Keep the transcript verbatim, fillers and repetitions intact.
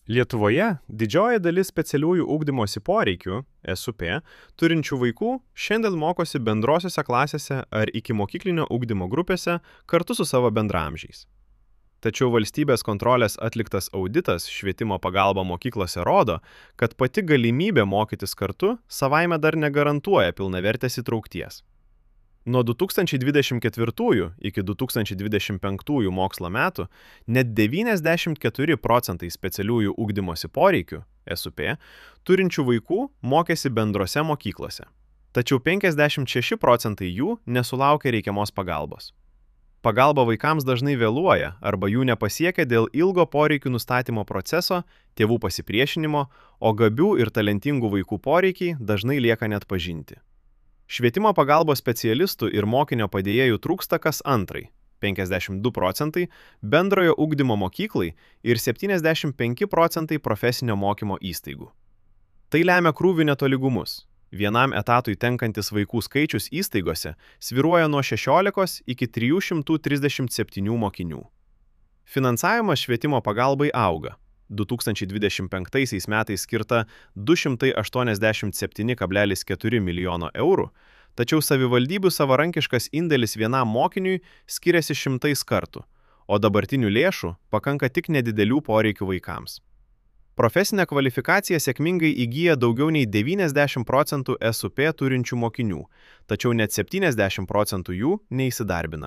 Lietuvoje didžioji dalis specialiųjų ugdymosi poreikių (S U P) turinčių vaikų šiandien mokosi bendrosiose klasėse ar ikimokyklinio ugdymo grupėse kartu su savo bendraamžiais. Tačiau valstybės kontrolės atliktas auditas Švietimo pagalba mokyklose rodo, kad pati galimybė mokytis kartu savaime dar negarantuoja pilnavertės įtraukties. Nuo du tūkstančiai dvidešimt ketvirtųjų iki du tūkstančiai dvidešimt penktųjų mokslo metų net devyniasdešimt keturi procentai specialiųjų ugdymosi poreikių (S U P) turinčių vaikų mokėsi bendrose mokyklose, tačiau penkiasdešimt šeši procentai jų nesulaukė reikiamos pagalbos. Pagalba vaikams dažnai vėluoja arba jų nepasiekia dėl ilgo poreikių nustatymo proceso, tėvų pasipriešinimo, o gabių ir talentingų vaikų poreikiai dažnai lieka neatpažinti. Švietimo pagalbos specialistų ir mokinio padėjėjų trūksta kas antrai (penkiasdešimt du procentai) bendrojo ugdymo mokyklai ir septyniasdešimt penki procentai profesinio mokymo įstaigų. Tai lemia krūvių netolygumus. Vienam etatui tenkantis vaikų skaičius įstaigose svyruoja nuo šešiolikos iki trijų šimtų trisdešimt septynių mokinių. Finansavimas švietimo pagalbai auga. du tūkstančiai dvidešimt penktaisiais metais skirta du šimtai aštuoniasdešimt septyni kablelis keturi milijono eurų, tačiau savivaldybių savarankiškas indėlis vienam mokiniui skiriasi šimtais kartų, o dabartinių lėšų pakanka tik nedidelių poreikių vaikams. Profesinę kvalifikaciją sėkmingai įgyja daugiau nei devyniasdešimt procentų S U P turinčių mokinių, tačiau net septyniasdešimt procentų jų neįsidarbina.